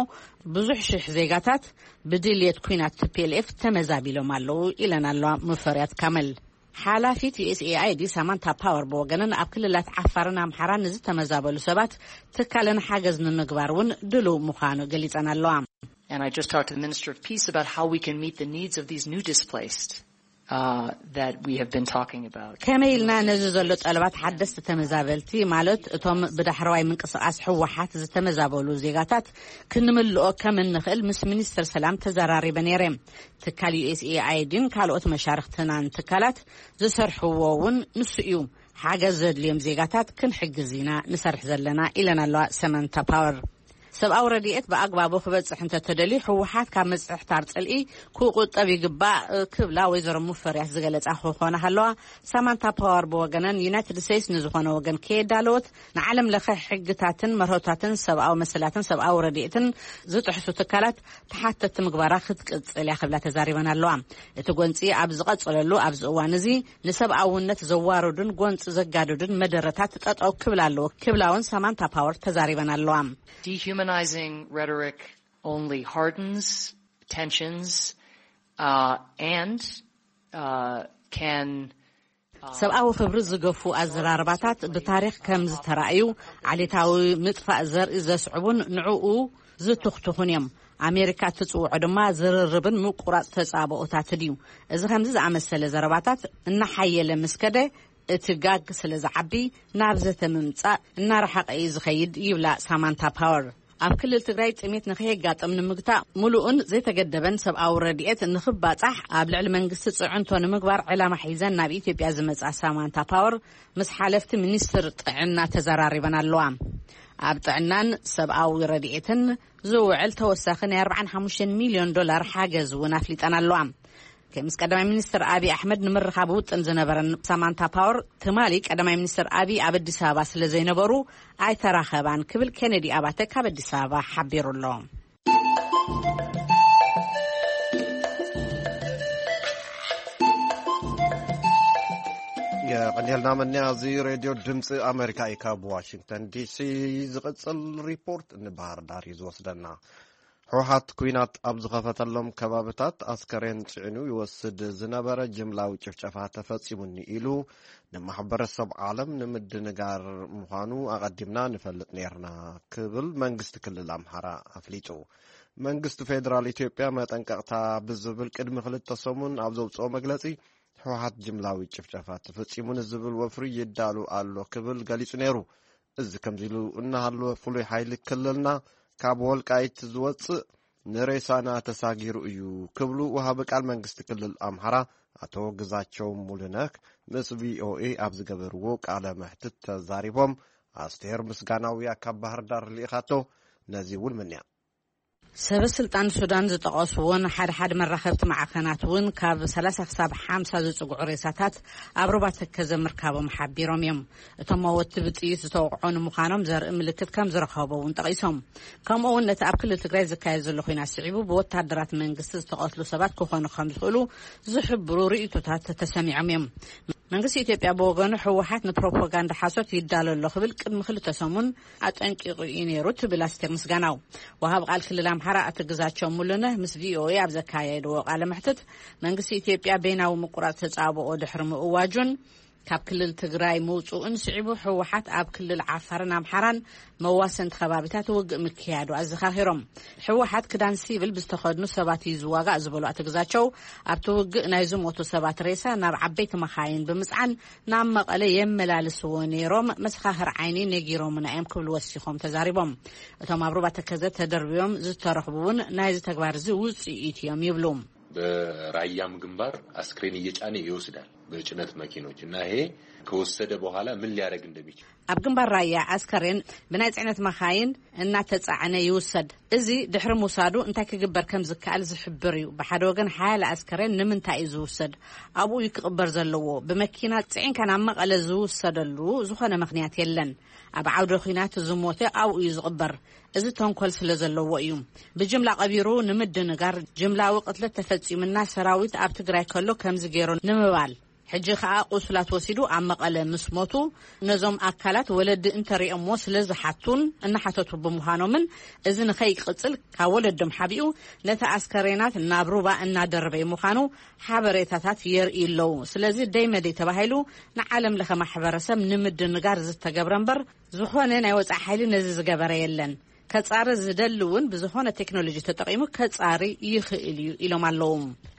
ብዙሕ ሽሕ ዜጋታት ብድልየት ኲናት ቲ ፒ ኤል ኤፍ ተመዛቢሎም ኣለዉ ኢለን ኣለዋ ሙፈሪያት ካመል። ሓላፊት ዩ ኤስ ኤ ኣይ ዲ ሳማንታ ፓወር ብወገነን፣ ኣብ ክልላት ዓፋርን ኣምሓራን ንዝተመዛበሉ ሰባት ትካለን ሓገዝ ንምግባር እውን ድሉው ምዃኑ ገሊጸን ኣለዋ። And I just talked to the Minister of Peace about how we can meet the needs of these new displaced uh, that we have been talking about. ከመይ ኢልና ነዚ ዘሎ ጠለባት ሓደስቲ ተመዛበልቲ፣ ማለት እቶም ብዳሕረዋይ ምንቅስቓስ ህወሓት ዝተመዛበሉ ዜጋታት ክንምልኦ ከም እንኽእል ምስ ሚኒስትር ሰላም ተዘራሪበ ነይረ። ትካል ዩ ኤስ ኤ ኣይ ዲን ካልኦት መሻርኽትናን ትካላት ዝሰርሕዎ እውን ንሱ እዩ። ሓገዝ ዘድልዮም ዜጋታት ክንሕግዝ ኢና ንሰርሕ ዘለና ኢለን ኣለዋ ሰመንታ ፓወር። ሰብኣዊ ረድኤት ብኣግባቡ ክበጽሕ እንተተደልዩ፣ ህወሓት ካብ ምጽሕታር ጽልኢ ክቑጠብ ይግባእ ክብላ ወይዘሮ ሙፈሪያት ዝገለጻ ክኾና ከለዋ፣ ሳማንታ ፓወር ብወገነን፣ ዩናይትድ ስቴትስ ንዝኾነ ወገን ከየዳለወት፣ ንዓለም ለኸ ሕግታትን መርሆታትን ሰብኣዊ መሰላትን ሰብኣዊ ረድኤትን ዝጥሕሱ ትካላት ተሓተቲ ምግባራ ክትቅጽል እያ ክብላ ተዛሪበን ኣለዋ። እቲ ጎንጺ ኣብ ዝቐጸለሉ ኣብዚ እዋን እዚ፣ ንሰብኣውነት ዘዋርዱን ጎንጺ ዘጋድዱን መደረታት ጠጠው ክብል ኣለዎ ክብላ እውን ሳማንታ ፓወር ተዛሪበን ኣለዋ። Weaponizing rhetoric only hardens tensions uh, and uh, can ሰብኣዊ ክብሪ ዝገፉ ኣዘራርባታት ብታሪኽ ከም ዝተራእዩ፣ ዓሌታዊ ምጥፋእ ዘርኢ ዘስዕቡን ንዕኡ ዝትኽትኹን እዮም። ኣሜሪካ እትጽውዖ ድማ ዝርርብን ምቁራጽ ተጻብኦታትን እዩ። እዚ ከምዚ ዝኣመሰለ ዘረባታት እናሓየለ ምስ ከደ፣ እቲ ጋግ ስለ ዝዓቢ፣ ናብ ዘተ ምምጻእ እናረሓቐ እዩ ዝኸይድ፣ ይብላ ሳማንታ ፓወር። ኣብ ክልል ትግራይ ጥሜት ንኸየጋጥም ንምግታእ፣ ምሉእን ዘይተገደበን ሰብኣዊ ረድኤት ንኽባጻሕ ኣብ ልዕሊ መንግስቲ ጽዕንቶ ንምግባር ዕላማ ሒዘን ናብ ኢትዮጵያ ዝመጻ ሳማንታ ፓወር፣ ምስ ሓለፍቲ ሚኒስትር ጥዕና ተዘራሪበን ኣለዋ። ኣብ ጥዕናን ሰብኣዊ ረድኤትን ዝውዕል ተወሳኺ ናይ ኣርባዓን ሓሙሽተን ሚልዮን ዶላር ሓገዝ እውን ኣፍሊጠን ኣለዋ። ምስ ቀዳማይ ሚኒስትር ኣብይ ኣሕመድ ንምርኻብ ውጥን ዝነበረን ሳማንታ ፓወር፣ ትማሊ ቀዳማይ ሚኒስትር ኣብይ ኣብ ኣዲስ ኣበባ ስለ ዘይነበሩ ኣይተራኸባን ክብል ኬኔዲ ኣባተ ካብ ኣዲስ ኣበባ ሓቢሩ ኣሎ። የቐንየልና መኒያ። እዚ ሬድዮ ድምፂ ኣሜሪካ እዩ። ካብ ዋሽንግተን ዲሲ ዝቕፅል ሪፖርት ንባህር ዳር እዩ ዝወስደና። ሕወሓት ኲናት ኣብ ዝኸፈተሎም ከባብታት ኣስከሬን ጽዒኑ ይወስድ ዝነበረ ጅምላዊ ጭፍጨፋ ተፈጺሙኒ ኢሉ ንማሕበረሰብ ዓለም ንምድንጋር ምዃኑ ኣቐዲምና ንፈልጥ ነይርና ክብል መንግስቲ ክልል ኣምሓራ ኣፍሊጡ። መንግስቲ ፌደራል ኢትዮጵያ መጠንቀቕታ ብዝብል ቅድሚ ክልተ ሰሙን ኣብ ዘውፅኦ መግለጺ፣ ሕወሓት ጅምላዊ ጭፍጨፋ ተፈጺሙ ንዝብል ወፍሪ ይዳሉ ኣሎ ክብል ገሊጹ ነይሩ። እዚ ከምዚ ኢሉ እናሃለወ፣ ፍሉይ ሓይሊ ክልልና ካብ ወልቃይት ዝወፅእ ንሬሳና ተሳጊሩ እዩ ክብሉ ወሃቢ ቃል መንግስቲ ክልል ኣምሓራ ኣቶ ግዛቸው ሙሉነህ ምስ ቪኦኤ ኣብ ዝገበርዎ ቃለ መሕትት ተዛሪቦም። ኣስቴር ምስጋናውያ ካብ ባህር ዳር ልኢኻቶ፣ ነዚ እውን ምንያ። ሰበ ስልጣን ሱዳን ዝጠቐስዎን ሓደ ሓደ መራኸብቲ ማዕኸናት እውን ካብ ሰላሳ ክሳብ ሓምሳ ዝጽግዑ ሬሳታት ኣብ ሩባ ተከዘ ምርካቦም ሓቢሮም እዮም። እቶም መወቲ ብጥይት ዝተወቕዑ ንምዃኖም ዘርኢ ምልክት ከም ዝረኸቡ እውን ጠቒሶም። ከምኡ እውን ነቲ ኣብ ክልል ትግራይ ዝካየድ ዘሎ ኹናት ስዒቡ ብወታደራት መንግስቲ ዝተቐትሉ ሰባት ክኾኑ ከም ዝኽእሉ ዝሕብሩ ርእይቶታት ተሰሚዖም እዮም። መንግስቲ ኢትዮጵያ ብወገኑ፣ ህወሓት ንፕሮፓጋንዳ ሓሶት ይዳሎ ኣሎ ክብል ቅድሚ ክልተ ሰሙን ኣጠንቂቑ እዩ ነይሩ ትብል ኣስቴር ምስጋናው። ወሃብ ቃል ክልል ኣምሓራ ኣቶ ግዛቸው ሙሉነህ ምስ ቪኦኤ ኣብ ዘካየድዎ ቃለ መሕትት፣ መንግስቲ ኢትዮጵያ በይናዊ ምቁራጽ ተጻብኦ ድሕሪ ምእዋጁን ካብ ክልል ትግራይ ምውፅኡን ስዒቡ፣ ህወሓት ኣብ ክልል ዓፋርን ኣምሓራን መዋሰንቲ ከባቢታት ውግእ ምክያዱ ኣዘኻኺሮም። ህወሓት ክዳን ሲቪል ብዝተኸድኑ ሰባት እዩ ዝዋጋእ ዝበሉ ኣቶ ግዛቸው፣ ኣብቲ ውግእ ናይ ዝሞቱ ሰባት ሬሳ ናብ ዓበይቲ መኻይን ብምፅዓን ናብ መቐለ የመላልስዎ ነይሮም፣ መሰኻኽር ዓይኒ ነጊሮምና እዮም ክብሉ ወሲኾም ተዛሪቦም። እቶም ኣብ ሩባ ተከዘ ተደርብዮም ዝተረኽቡ እውን ናይዚ ተግባር እዚ ውፅኢት እዮም ይብሉ። በራያም ግንባር አስክሬን እየጫነ ይወስዳል በጭነት መኪኖች እና ይሄ ከወሰደ በኋላ ምን ሊያደርግ እንደሚችል። ኣብ ግንባር ራያ ኣስከሬን ብናይ ጽዕነት መኻይን እናተጻዕነ ይውሰድ። እዚ ድሕሪ ምውሳዱ እንታይ ክግበር ከም ዝከኣል ዝሕብር እዩ። ብሓደ ወገን ሓያለ ኣስከሬን ንምንታይ እዩ ዝውሰድ? ኣብኡ እዩ ክቕበር ዘለዎ። ብመኪና ጽዒንካ ናብ መቐለ ዝውሰደሉ ዝኾነ ምኽንያት የለን። ኣብ ዓውደ ኹናት ዝሞተ ኣብኡ እዩ ዝቕበር። እዚ ተንኮል ስለ ዘለዎ እዩ። ብጅምላ ቀቢሩ ንምድንጋር፣ ጅምላዊ ቅትለት ተፈጺሙና ሰራዊት ኣብ ትግራይ ከሎ ከምዚ ገይሩ ንምባል። ሕጂ ከኣ ቁሱላት ወሲዱ ኣብ መቐለ ምስ ሞቱ፣ ነዞም ኣካላት ወለዲ እንተሪኦምዎ ስለ ዝሓቱን እናሓተቱ ብምዃኖምን፣ እዚ ንኸይቅጽል ካብ ወለዶም ሓቢኡ ነቲ ኣስከሬናት ናብ ሩባ እናደረበ ምዃኑ ሓበሬታታት የርእዩ ኣለዉ። ስለዚ ደይ መደይ ተባሂሉ ንዓለም ለኸ ማሕበረሰብ ንምድንጋር ዝተገብረ እምበር፣ ዝኾነ ናይ ወጻኢ ሓይሊ ነዚ ዝገበረ የለን። ከጻሪ ዝደሊ እውን ብዝኾነ ቴክኖሎጂ ተጠቒሙ ከጻሪ ይኽእል እዩ ኢሎም ኣለዉ።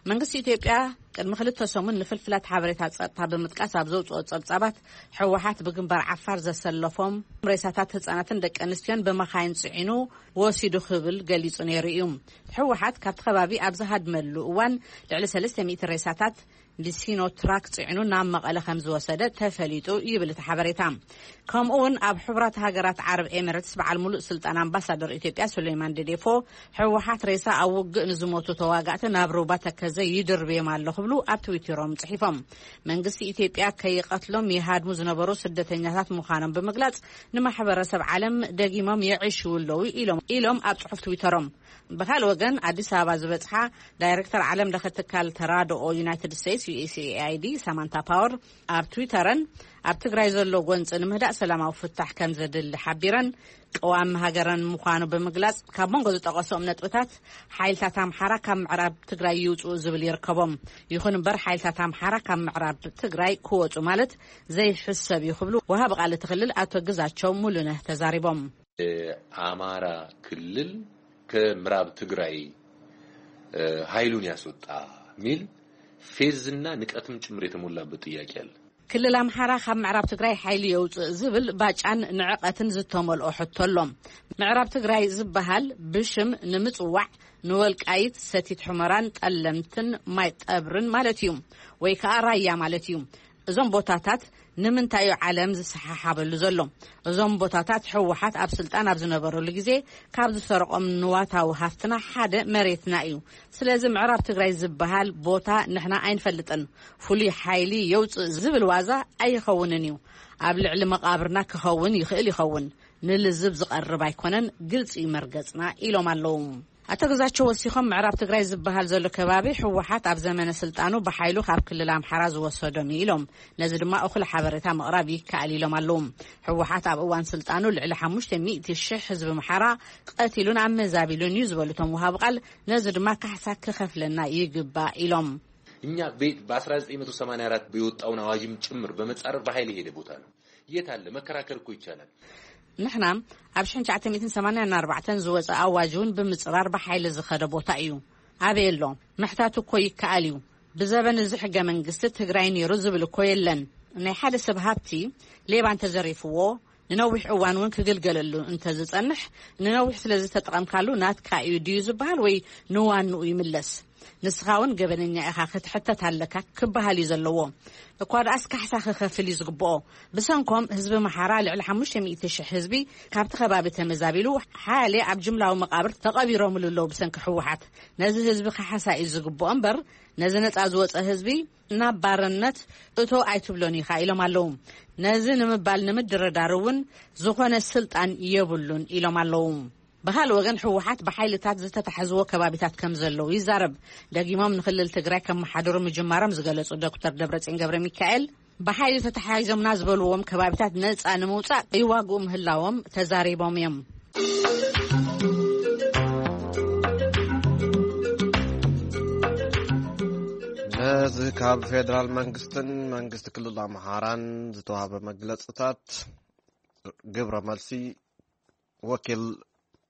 መንግስቲ ኢትዮጵያ ቅድሚ ክልተ ሰሙን ንፍልፍላት ሓበሬታ ጸጥታ ብምጥቃስ ኣብ ዘውጽኦ ጸብጻባት፣ ህወሓት ብግንባር ዓፋር ዘሰለፎም ሬሳታት ህጻናትን ደቂ ኣንስትዮን ብመኻይን ጽዒኑ ወሲዱ ክብል ገሊጹ ነይሩ እዩ። ህወሓት ካብቲ ከባቢ ኣብ ዝሃድመሉ እዋን ልዕሊ ሰለስተ ሚእቲ ሬሳታት ብሲኖ ትራክ ጽዕኑ ናብ መቐለ ከም ዝወሰደ ተፈሊጡ ይብል እቲ ሓበሬታ። ከምኡ እውን ኣብ ሕቡራት ሃገራት ዓረብ ኤሚሬትስ በዓል ሙሉእ ስልጣን ኣምባሳደር ኢትዮጵያ ሱሌማን ደዴፎ፣ ህወሓት ሬሳ ኣብ ውግእ ንዝሞቱ ተዋጋእቲ ናብ ሩባ ተከዘ ይድርብዮም ኣሎ ክብሉ ኣብ ትዊተሮም ጽሒፎም። መንግስቲ ኢትዮጵያ ከይቐትሎም ይሃድሙ ዝነበሩ ስደተኛታት ምዃኖም ብምግላጽ፣ ንማሕበረሰብ ዓለም ደጊሞም የዕሽዉ ኣለዉ ኢሎም ኢሎም ኣብ ጽሑፍ ትዊተሮም። ብካልእ ወገን፣ ኣዲስ ኣበባ ዝበጽሓ ዳይሬክተር ዓለም ለኸ ትካል ተራድኦ ዩናይትድ ስቴትስ ዩ ኤስ ኤ ኣይ ዲ ሳማንታ ፓወር ኣብ ትዊተረን፣ ኣብ ትግራይ ዘሎ ጎንፂ ንምህዳእ ሰላማዊ ፍታሕ ከም ዘድሊ ሓቢረን፣ ቀዋሚ ሃገረን ምዃኑ ብምግላፅ፣ ካብ መንጎ ዝጠቐሶም ነጥብታት ሓይልታት ኣምሓራ ካብ ምዕራብ ትግራይ ይውፅኡ ዝብል ይርከቦም። ይኹን እምበር፣ ሓይልታት ኣምሓራ ካብ ምዕራብ ትግራይ ክወፁ ማለት ዘይሕሰብ እዩ ክብሉ ወሃቢ ቃል እቲ ክልል ኣቶ ግዛቸው ሙሉነህ ተዛሪቦም። የአማራ ክልል ከምዕራብ ትግራይ ኃይሉን ያስወጣ የሚል ፌዝና ንቀትም ጭምር የተሞላበት ጥያቄ አለ። ክልል ኣምሓራ ካብ ምዕራብ ትግራይ ሓይሊ የውፅእ ዝብል ባጫን ንዕቐትን ዝተመልኦ ሕቶ ኣሎ። ምዕራብ ትግራይ ዝበሃል ብሽም ንምፅዋዕ ንወልቃይት፣ ሰቲት ሑመራን ጠለምትን ማይ ጠብርን ማለት እዩ፣ ወይ ከዓ ራያ ማለት እዩ። እዞም ቦታታት ንምንታይ እዩ ዓለም ዝሰሓሓበሉ ዘሎ? እዞም ቦታታት ህወሓት ኣብ ስልጣን ኣብ ዝነበረሉ ግዜ ካብ ዝሰረቆም ንዋታዊ ሃፍትና ሓደ መሬትና እዩ። ስለዚ ምዕራብ ትግራይ ዝበሃል ቦታ ንሕና ኣይንፈልጥን። ፍሉይ ሓይሊ የውፅእ ዝብል ዋዛ ኣይኸውንን እዩ። ኣብ ልዕሊ መቓብርና ክኸውን ይኽእል ይኸውን። ንልዝብ ዝቐርብ ኣይኮነን፣ ግልፂ እዩ መርገፅና ኢሎም ኣለዉ። ኣቶ ግዛቸው ወሲኾም ምዕራብ ትግራይ ዝበሃል ዘሎ ከባቢ ህወሓት ኣብ ዘመነ ስልጣኑ ብሓይሉ ካብ ክልል ኣምሓራ ዝወሰዶም እዩ ኢሎም። ነዚ ድማ እኹል ሓበሬታ ምቕራብ ይከኣል ኢሎም ኣለዉ። ህወሓት ኣብ እዋን ስልጣኑ ልዕሊ ሓሙሽተ ሚእቲ ሽሕ ህዝቢ ኣምሓራ ቀቲሉን ኣመዛቢሉን እዩ ዝበሉ እቶም ወሃቢ ቃል፣ ነዚ ድማ ካሕሳ ክኸፍለና ይግባእ ኢሎም። እኛ ቤት በ1984 የወጣውን አዋጅም ጭምር በመጻረር በኃይል የሄደ ቦታ ነው። የት አለ? መከራከር እኮ ይቻላል። ንሕና ኣብ ሽሕን ትሽዓተ ሚእትን ሰማንያን ኣርባዕተን ዝወፀ ኣዋጅ እውን ብምፅራር ብሓይሊ ዝኸደ ቦታ እዩ። ኣበይ ኣሎ? ምሕታት እኮ ይከኣል እዩ። ብዘበን እዚ ሕገ መንግስቲ ትግራይ ነይሩ ዝብል እኮ የለን። ናይ ሓደ ሰብ ሃብቲ ሌባ እንተዘሪፍዎ ንነዊሕ እዋን እውን ክግልገለሉ እንተዝፀንሕ፣ ንነዊሕ ስለ ዝተጠቐምካሉ ናትካ እዩ ድዩ ዝበሃል ወይ ንዋንኡ ይምለስ? ንስኻ እውን ገበነኛ ኢኻ፣ ክትሕተት ኣለካ ክበሃል እዩ ዘለዎ። እኳ ደኣስ ካሕሳ ክኸፍል እዩ ዝግብኦ። ብሰንኮም ህዝቢ ኣምሓራ ልዕሊ ሓሙሽተ ሚእቲ ሽሕ ህዝቢ ካብቲ ከባቢ ተመዛቢሉ፣ ሓያሌ ኣብ ጅምላዊ መቓብር ተቐቢሮምሉ ኣለዉ ብሰንኪ ህወሓት። ነዚ ህዝቢ ካሕሳ እዩ ዝግብኦ እምበር፣ ነዚ ነፃ ዝወፀ ህዝቢ ናብ ባርነት እቶ ኣይትብሎን ኢኻ ኢሎም ኣለዉ። ነዚ ንምባል ንምድርዳር እውን ዝኾነ ስልጣን የብሉን ኢሎም ኣለዉ። ብኻልእ ወገን ህወሓት ብሓይልታት ዝተታሕዝዎ ከባቢታት ከም ዘለዉ ይዛረብ። ደጊሞም ንክልል ትግራይ ከመሓድሩ ምጅማሮም ዝገለጹ ዶክተር ደብረጽዮን ገብረ ሚካኤል፣ ብሓይሊ ተታሓሒዞምና ዝበልዎም ከባቢታት ነፃ ንምውፃእ ይዋግኡ ምህላዎም ተዛሪቦም እዮም። ነዚ ካብ ፌደራል መንግስትን መንግስቲ ክልል ኣምሓራን ዝተዋህበ መግለፅታት ግብረ መልሲ ወኪል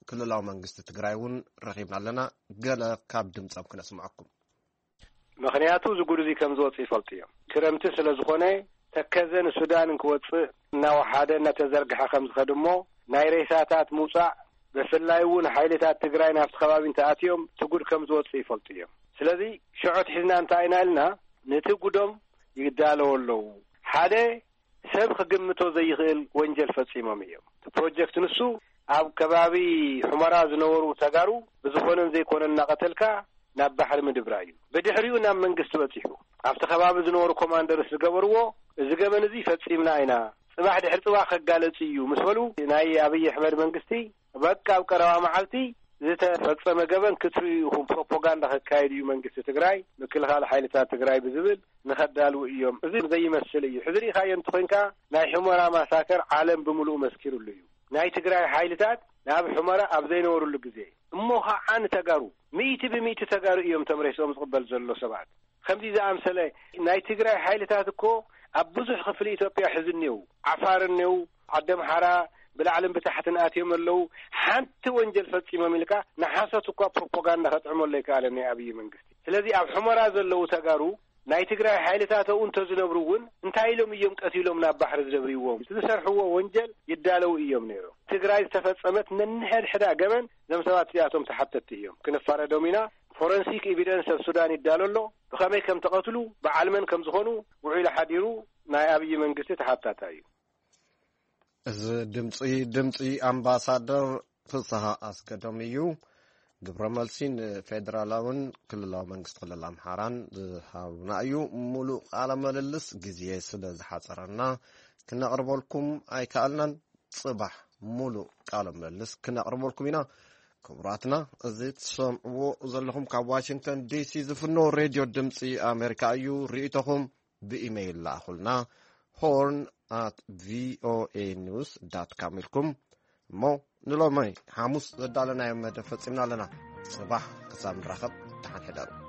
ክልላዊ መንግስቲ ትግራይ እውን ረኺብና ኣለና። ገለ ካብ ድምፆም ክነስምዐኩም። ምኽንያቱ እዚ ጉድ እዚ ከም ዝወፅእ ይፈልጡ እዮም። ክረምቲ ስለ ዝኾነ ተከዘ ንሱዳን እንክወፅእ እናወሓደ እናተዘርግሐ ከም ዝኸድ እሞ ናይ ሬሳታት ምውፃእ ብፍላይ እውን ሓይልታት ትግራይ ናብቲ ከባቢ እንተኣትዮም እቲ ጉድ ከም ዝወፅእ ይፈልጡ እዮም። ስለዚ ሽዖት ሒዝና እንታይ ኢና ኢልና ነቲ ጉዶም ይዳለዎ ኣለዉ። ሓደ ሰብ ክግምቶ ዘይኽእል ወንጀል ፈፂሞም እዮም። እቲ ፕሮጀክት ንሱ ኣብ ከባቢ ሑመራ ዝነበሩ ተጋሩ ብዝኾነን ዘይኮነን እናቐተልካ ናብ ባሕሪ ምድብራ እዩ። ብድሕሪኡ ናብ መንግስቲ በፂሑ ኣብቲ ከባቢ ዝነበሩ ኮማንደርስ ዝገበርዎ እዚ ገበን እዚ ፈፂምና ኢና፣ ፅባሕ ድሕሪ ፅባሕ ከጋለፅ እዩ ምስ በሉ ናይ ኣብይ ኣሕመድ መንግስቲ በቃ ኣብ ቀረባ መዓልቲ ዝተፈፀመ ገበን ክትርእዩ ኢኹም፣ ፕሮፓጋንዳ ከካየድ እዩ መንግስቲ ትግራይ፣ ምክልኻል ሓይልታት ትግራይ ብዝብል ንኸዳልው እዮም። እዚ ዘይመስል እዩ። ሕዚ ርኢኻዮ እንተኾይንካ ናይ ሑመራ ማሳከር ዓለም ብምሉኡ መስኪሩሉ እዩ። ናይ ትግራይ ሓይልታት ናብ ሑመራ ኣብ ዘይነበሩሉ ግዜ እሞ ኸዓ ንተጋሩ ሚእቲ ብሚእቲ ተጋሩ እዮም ተምሬስኦም ዝቕበል ዘሎ ሰባት። ከምዚ ዝኣምሰለ ናይ ትግራይ ሓይልታት እኮ ኣብ ብዙሕ ክፍሊ ኢትዮጵያ ሕዚ እኒው ዓፋር እኒው ዓዲ ኣምሓራ ብላዕልን ብታሕትን ኣትዮም ኣለዉ። ሓንቲ ወንጀል ፈፂሞም ኢልካ ንሓሶት እኳ ፕሮፓጋንዳ ከጥዕመሉ ኣይከኣለን ናይ ኣብይ መንግስቲ። ስለዚ ኣብ ሑመራ ዘለዉ ተጋሩ ናይ ትግራይ ሓይልታት ኣብኡ እንተዝነብሩ እውን እንታይ ኢሎም እዮም ቀቲሎም ናብ ባሕሪ ዝደብርዎም? እቲ ዝሰርሕዎ ወንጀል ይዳለዉ እዮም ነይሮም። ትግራይ ዝተፈፀመት ነንሕድሕዳ ገበን እዞም ሰባት እዚኣቶም ተሓተትቲ እዮም። ክንፋረዶም ኢና። ፎረንሲክ ኤቪደንስ ኣብ ሱዳን ይዳሎ ኣሎ። ብኸመይ ከም ተቐትሉ ብዓል መን ከም ዝኾኑ ውዒሉ ሓዲሩ ናይ ኣብይ መንግስቲ ተሓታታይ እዩ። እዚ ድምፂ ድምፂ ኣምባሳደር ፍስሃ ኣስገዶም እዩ። ግብረ መልሲ ንፌደራላውን ክልላዊ መንግስቲ ክልል ኣምሓራን ዝሃቡና እዩ። ሙሉእ ቃለ ምልልስ ግዜ ስለ ዝሓፀረና ክነቕርበልኩም ኣይከኣልናን። ፅባሕ ሙሉእ ቃለ ምልልስ ክነቕርበልኩም ኢና። ክቡራትና፣ እዚ ትሰምዕዎ ዘለኹም ካብ ዋሽንግተን ዲሲ ዝፍኖ ሬድዮ ድምፂ ኣሜሪካ እዩ። ርእይቶኹም ብኢሜይል ለኣኹልና፣ ሆርን ኣት ቪኦኤ ኒውስ ዳት ካም ኢልኩም። እሞ ንሎሚ ሓሙስ ዘዳለናዮ መደብ ፈፂምና ኣለና። ፅባሕ ክሳብ ንራኸብ፣ ደሓን ሕደሩ።